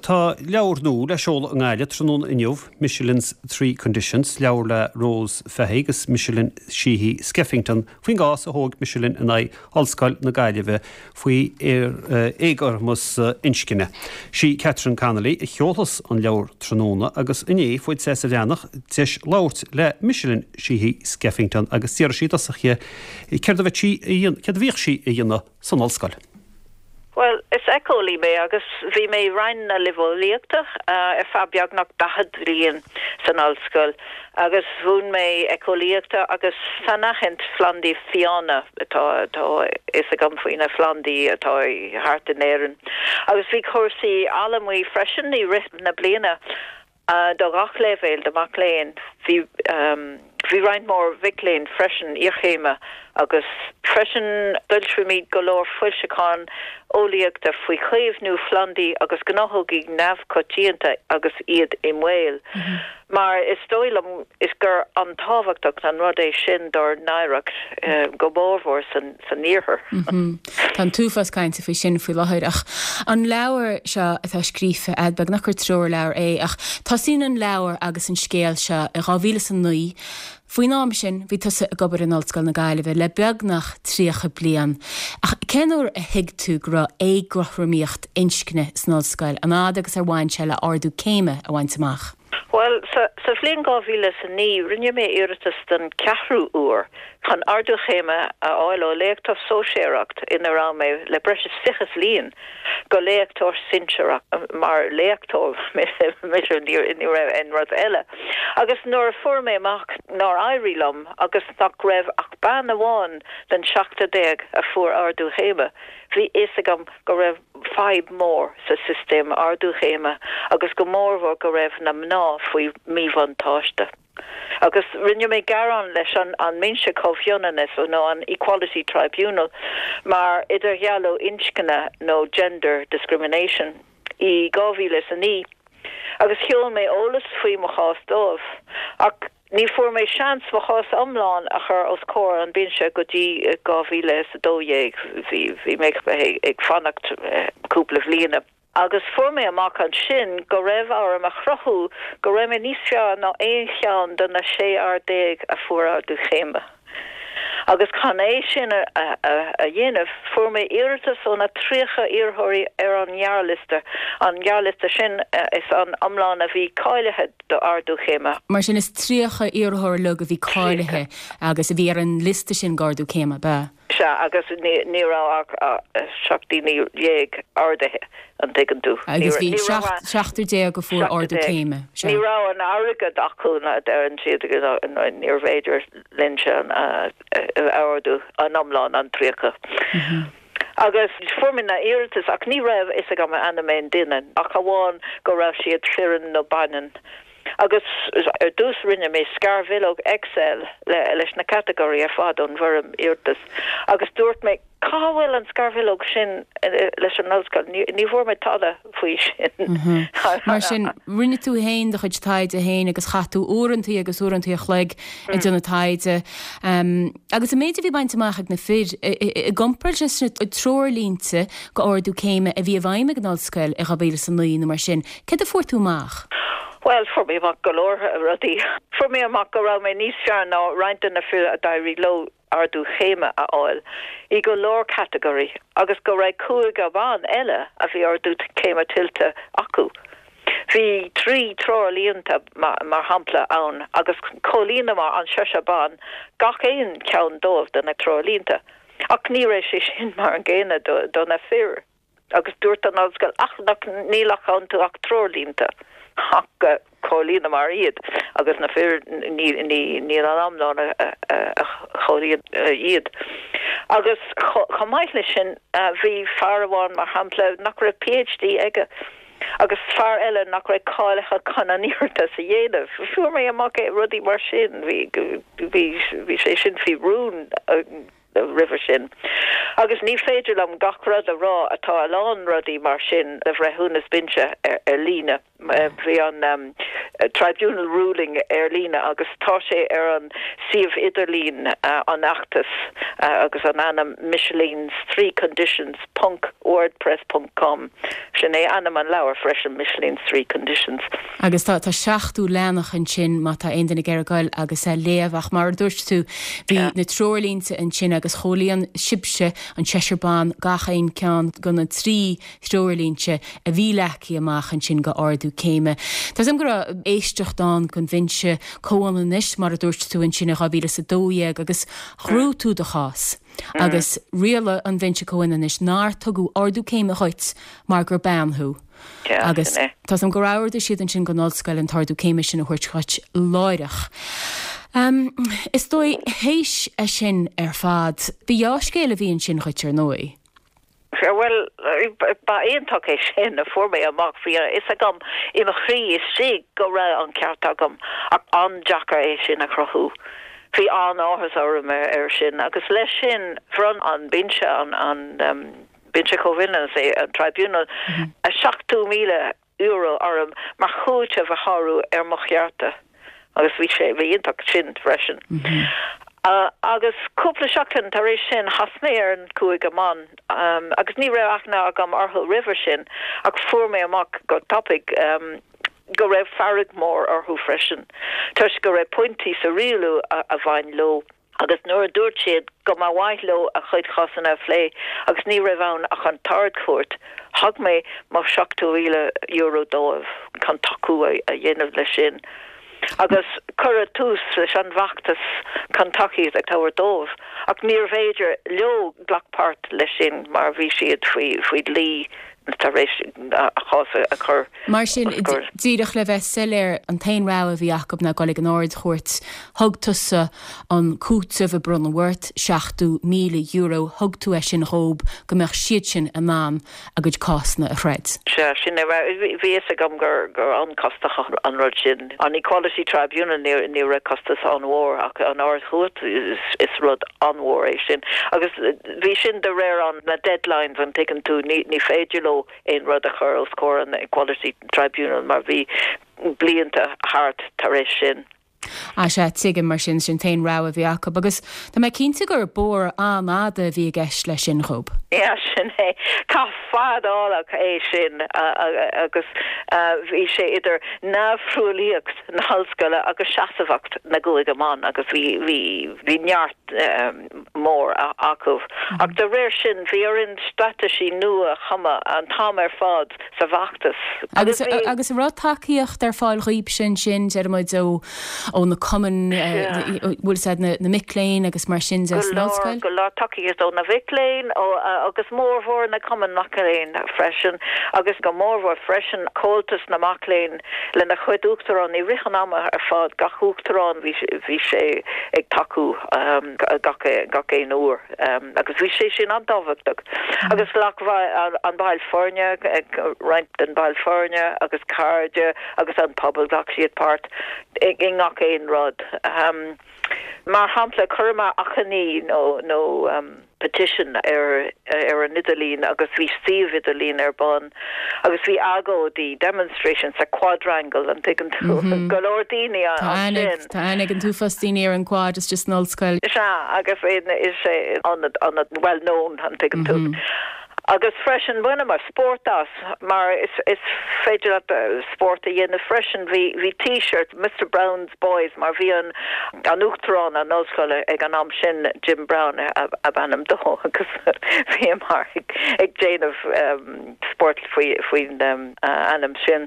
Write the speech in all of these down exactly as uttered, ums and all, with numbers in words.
Tá leabhar nua le seoladh i nGaillimh tráthnóna inniu, Micheline's Three Conditions, leabhar le Rose Fahy agus Micheline Sheehy Skeffington faoin gcás a thóg Micheline in aghaidh Ollscoil na Gaillimhe faoi éagothromas inscne. Sí Catherine Connolly a sheolfas an leabhar tráthnóna agus inné fuair Céasta Bhreathnach deis labhairt le Micheline Sheehy Skeffington agus d'iarr sí i dtosach uirthi céard a bhíodh sí a dhéanamh san ollscoil. Well, is éiceolaí mé agus bhí mé i Roinn na Luibheolaíochta uh, ar feadh beagnach daichead bliain san ollscoil agus mhúin mé éiceolaíochta agus sainaithint phlandaí fiáine atá atá is agam faoi na plandaí atá thart in Éirinn. Agus bhí cúrsaí allamuigh freisin i rith na bliana uh, do gach leibhéal de mac léinn bhí um, bhí roinnt mór mhic léinn freisin iarchéime agus freisin d'fhoilsíomar go leor foilseachán eolaíochta faoi chaomhnú plandaí agus gnáthóga neamhchoitianta agus iad i mbaol. Mm -hmm. Mar is dóigh liom is gur an-tábhachtach an rud é sin dár n-oidhreacht uh, go mórmhór san, san iarthar. Mm -hmm. Tá an t-uafás cainte faoi sin faoi láthair ach an leabhar seo atá scríofa agat beagnach gur treoirleabhar é ach tosaíonn an leabhar agus an scéal seo i dhá mhíle is a naoi Faoin am sin bhí tusa ag obair in Ollscoil na Gaillimhe le beagnach tríocha bliain. Ach cén uair a thuig tú go raibh éagothromaíocht inscne san ollscoil an fhad agus ar bhain sé le ardú céime a bhaint amach. Well sa, sa bhliain dhá mhíle is a naoi rinne mé iarratas den ceathrú uair chun ardú céime a fháil ó léachtóir sóisearach ina raibh mé le breis is fiche bliain go léachtóir sinsearach mar léachtóir ní raibh aon rud eile. Agus nuair a fuair mé amach nár éirigh liom agus nach raibh ach bean amháin den seachtar déag a fuair ardú céime. Bhí fhios agam go raibh fadhb mór sa sistéam ardú céime agus go mórmhór go raibh na mná faoi míbhuntáiste. Agus rinne mé gearán leis an an mBinse Comhionannais nó an Equality Tribunal mar idirdhealú inscne nó gender discrimination i dhá mhíle is a naoi. Agus sheol mé eolas faoi mo chás dóibh ach ní fuair mé seans mo chás iomlán a chur os comhair an binse go dtí dhá mhíle is a dó dhéag bhí bhí mé ag fanacht eh, cúpla bliana. Agus fuair mé amach ansin go raibh orm a chruthú go raibh mé níos fearr ná aon cheann de na sé fhear déag a fuair ardú céime. Agus chun é sin a, a, a, a dhéanamh fuair mé iarratas ó na tríocha iarrthóirí ar an ngearrliosta an gearrliosta sin is an iomlán a bhí cáilithe do ardú céime. Mar sin is tríocha iarrthóir uilig a bhí cáilithe agus a bhí ar an liosta sin d'ardú céime ba. Sea agus ní raibh seacht ndaoine déag ardaithe an dtuigeann tú. Agus bhí seachtar déag a fuair ardú céime. Ní raibh an airgead acu na ar an siad níorbh fhéidir linn sin ardú an iomlán an tríocha. Mhm. Agus fuair mé na iarratais ach ní raibh fhios agam ainm aon duine ach amháin go raibh siad fireann nó baineann. Agus ar dtús rinne mé scarbhileog Excel le, leis na catagóirí ar fad ón bhfoirm iarratais. Agus dúirt mé cá bhfuil an scarbhileog sin eh, leis an ollscoil ní bhfuair mé tada faoi sin. Mhm. Mar sin rinne tú féin do chuid taighde féin agus chaith tú uaireanta agus uaireanta an chloig ag déanamh taighde. Um, agus an méid a bhí bainte amach ag na fir i gcomparáid leis na treoirlínte d'ardú céime a bhí i bhfeidhm ag an ollscoil i dhá mhíle is a naoi nó mar sin, céard a fuair tú amach? Well fuair mé amach go leor rudaí. Fuair mé amach go raibh mé níos fearr ná roinnt de na fir a d'éirigh leo ardú céime a fháil i go leor catagóirí agus go raibh cúigear ban eile a bhí ardú céime tuillte acu. Bhí trí treoirlínte mar shampla ann agus chomhlíonamar an seisear ban gach aon cheann dóibh de na treoirlínte. Ach ní raibh sé sin mar an gcéanna do, do na fir. agus dúirt an ollscoil ach nach níl ach iontu ach treoirlínte ach chomhlíonamar iad agus na fir níl an iomlán a chomhlíon iad. Agus chomh maith leis sin bhí fear amháin mar shampla nach raibh PhD aige. agus fear eile nach raibh cáilithe chun an iarratas a dhéanamh. Fuair mé amach é rudaí mar sin bhí sé sin faoi rún roimhe sin. Agus ní féidir liom gach rud a rá atá a lán rudaí mar sin le bhreithiúnas binse ar, ar líne. Bhí an tribunal ruling ar líne agus tá sé ar an suíomh idirlín an fheachtais agus an ainm Micheline's three conditions ponc wordpress ponc com sin é ainm an leabhar freisin Micheline's three conditions. Agus tá tá seachtó leathanach ansin má tá aon duine ag iarraidh goil agus é léamh ach mar a dúirt tú bhí na treoirlínte ansin agus chomhlíon sibhse an seisear ban gach aon ceann de na trí threoirlínte a bhí leagtha amach ansin go ardú céime. Tá am go raibh éisteacht ann don Bhinse Comhionannais mar a dúirt tú ansin in dhá mhíle is a dó dhéag agus ghnóthaigh tú do chás. Agus rialaigh an Binse Comhionannais nár tugadh ardú céime dhuit mar gur bean thú. Agus tá am gur ordaigh siad ansin don ollscoil an t-ardú céime sin a thabhairt dhuit láithreach. Um, is dóigh théis é sin ar fad, ba dhea-scéal a bhí ansin dhuit ar ndóigh. Well ba iontach é sin a fuair mé amach bhí a fhios agam i mo chroí istigh go raibh an ceart agam ach an-deacair é sin a chruthú. Bhí an-áthas orm ar, ar sin agus leis sin bhronn an binse an an um, Binse Comhionannais é an tribunal mm -hmm. a seachtó míle euro orm mar chúiteamh a shárú ar mo chearta agus bhí sé bhí iontach sin freisin. Mm -hmm. Uh, agus cúpla seachtain tar éis sin chas mé ar an cúigear ban um, agus ní raibh aithne agam orthu roimhe sin ach fuair mé amach go tapaidh um, go raibh fearg mór orthu freisin. Toisc go raibh pointí sa rialú a, a bhain leo. Agus nuair a dúirt siad go mba mhaith leo a chuid cásanna a phlé agus ní raibh ann ach an tArd-Chúirt, thug mé mo seachtó míle euro dóibh chun tacú a, a dhéanamh leis sin. Agus cuireadh tús leis an bhfeachtas chun tacaíocht a thabhairt dóibh, ach níorbh fhéidir leo glacadh páirt leis sin mar bhí siad faoi faoi dhlí tar éis a chás a chur. Mar sin díreach le bheith soiléir an t-aon rogha a bhí acu ná dul ag an Ard-Chúirt thug tusa an cúiteamh a bronnadh ort seachtó míle euro thug tú é sin dhóibh go mbeadh siad sin in ann a gcuid cásanna a throid. Sea sin bhí a fhios agam gur gur an-chostach an rud sin. An Equality Tribunal ní ní raibh costas an-mhór ach an Ard-Chúirt is, is rud an-mhór é sin. Agus bhí sin de réir an na deadlines an tuigeann tú ní, ní féidir leo aon rud a chur os comhair an Equality Tribunal mar bhí blianta thart tar éis sin. A sé tuigim mar sin sin t-aon rogha a bhí acu agus Tá mé cinnte gur bóthar an-fhada a bhí i gceist leis sin dhóibh. Ja sin é Cath fadálach é sin agus bhí sé idir neamhthruaillíocht na hollscoile agus seasmhacht na gcúigear ban agus bhí bhí bhí neart mór acu. Ach de réir sin bhí orainn straitéisí nua a chumadh an t-am ar fad sa bhfeachtas. Agus agus an raibh tacaíocht ar fáil dhaoibh sin sin deirimid ó ó na cumainn bhfuil siad na na mic léinn agus mar sin de san ollscoil? Go leor tacaíocht ó na mic léinn ó agus mórmhór na cumainn mac léinn freisin agus go mórmhór freisin Comhaltas na Mac Léinn lena chuid uachtarán i rith an ama ar fad gach uachtarán bhí bhí sé ag tacú um, gach gach aon uair um, agus bhí sé sin an-tábhachtach. Agus ghlac an baill foirne roinnt den baill foirne agus cairde agus an pobal ghlac siad páirt i ngach aon rud. Um, mar shampla chuireamar achainí nó nó um, petition ar ar an idirlíon agus bhí suíomh idirlín ar bun agus bhí agóidí demonstration sa quadrangle an tuigeann tú mm -hmm. go leor daoine Tá ag an t-uafás daoine ar an quad is just an ollscoil. Sea agus is é an an well known an tuigeann tú. Mm -hmm. Agus freisin bhaineamar spórt as mar is, is féidir leat spórt a dhéanamh freisin bhí bhí t-shirt Mr Brown's Boys mar bhí an an uachtarán an ollscoile ag an am sin Jim Brown ab ainm dó agus bhí mar ag, ag déanamh um, spórt faoi faoin um, uh, ainm sin.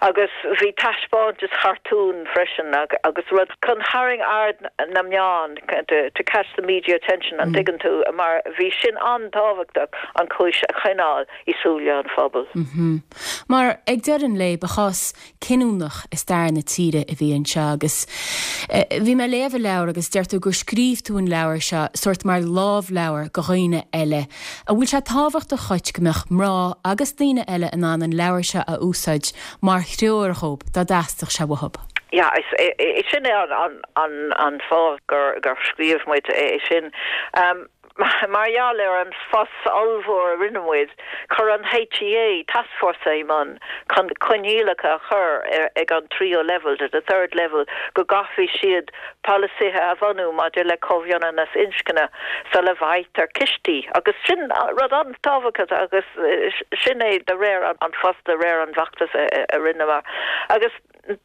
Agus bhí taispeántas cartún freisin ag, agus rud chun tharraing aird na meán to, to catch the media attention an mm. tuigeann tú mar bhí sin an-tábhachtach an chúis a choinneáil i súile an phobail. Mm -hmm. Mar ag deireadh an lae ba chás cinniúnach i stair na tíre a bhí anseo agus bhí mé ag léamh an leabhar agus deir tú gur scríobh tú an leabhar seo sórt mar lámhleabhar go dhaoine eile. An bhfuil sé tábhachtach dhuit go mbeadh mná agus daoine eile in ann an leabhar seo a úsáid mar threoir dhóibh dá dteastódh sé uathu. Ja, is, is sin é an, an, an, an fáth gur, gur scríobh muid é sin. Um, Mar gheall ar an fuss ollmhór a rinne muid, chuir an HEA taskforce i mbun chun coinníollacha a chur ag an tríú level to the third level go gcaithfidh siad polasaithe a bhunú maidir le comhionannas inscne sula bhfaightear cistí agus sin rud an-tábhachtach agus sin é de réir an fuss de réir an bhfeachtas a rinneamar. Agus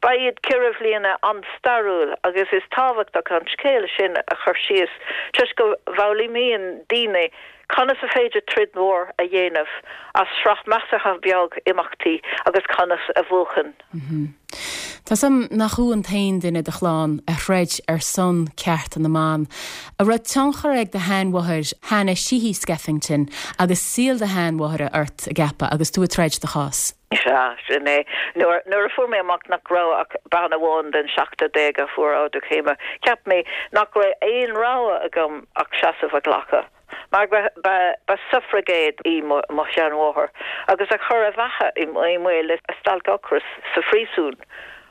ba iad ceithre bliana an-stairiúil agus is tábhachtach an scéal sin a chur síos toisc go bhfoghlaimíonn daoine conas is féidir troid mhór a dhéanamh as sraith measartha beag imeachtaí agus conas a bhuachan. Tá a fhios agam nach thú an t-aon duine i do chlann a throid ar son cearta na mban. An raibh tionchar ag do sheanmháthair Hannah Sheehy Skeffington agus saol do sheanmháthara ort a gceapadh agus tú ag troid do chás. Sea, sin é. Nuair nuair a fuair mé amach nach raibh ach bean amháin den seachtar déag a fuair ardú céime, cheap mé nach raibh aon rogha agam ach seasamh a ghlacadh. Mar ba ba suffragette í mo mo sheanmháthair agus a chuir a beatha i mbaol le stailc ocrais sa phríosún.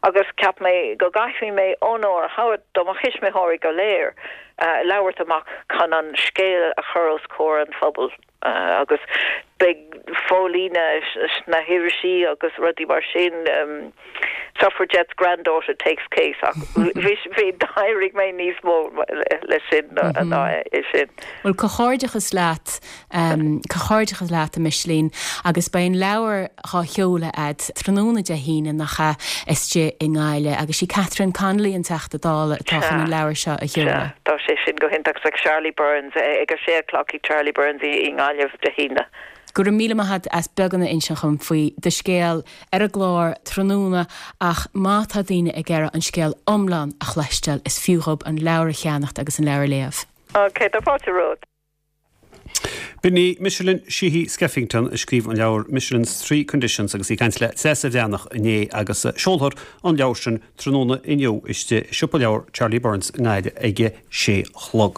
Agus cheap mé go gcaithfidh mé onóir a thabhairt do mo thuismitheoirí go léir uh, labhairt amach chun an scéal a chur os comhair an phobail. Uh, agus beidh fólíne na hirisí agus rudaí mar sin um, suffragette's granddaughter takes case ach bhí d'éirigh mé níos mó le sin ná é sin. Well comhghairdeachas leat um, comhghairdeachas leat a Micheline agus beidh an leabhar á sheoladh agat tráthnóna Dé hAoine nach ea istigh i nGaillimh agus sí Catherine Connolly an Teachta Dála atá chun an leabhar seo a sheoladh. Tá sé sin go hiontach ag Charlie Burns ag a sé clock Charlie Burns i nGaillimh Dé hAoine. Go raibh míle maith agat as beagán a insint dom faoi do scéal ar an gclár tráthnóna ach má tá daoine ag iarraidh an scéal iomlán a chloisteáil is fiú dóibh an leabhar a cheannacht agus an leabhar a léamh. Ok, tá fáilte romhat. B'in í Michelin Sheehy Skeffington a scríobh an leabhar Micheline's Three Conditions agus í ag caint le Treasa Bhreathnach inné agus seolfar an leabhar sin tráthnóna inniu istigh i siopa leabhar Charlie Burns i nGaillimh ag a sé chlog.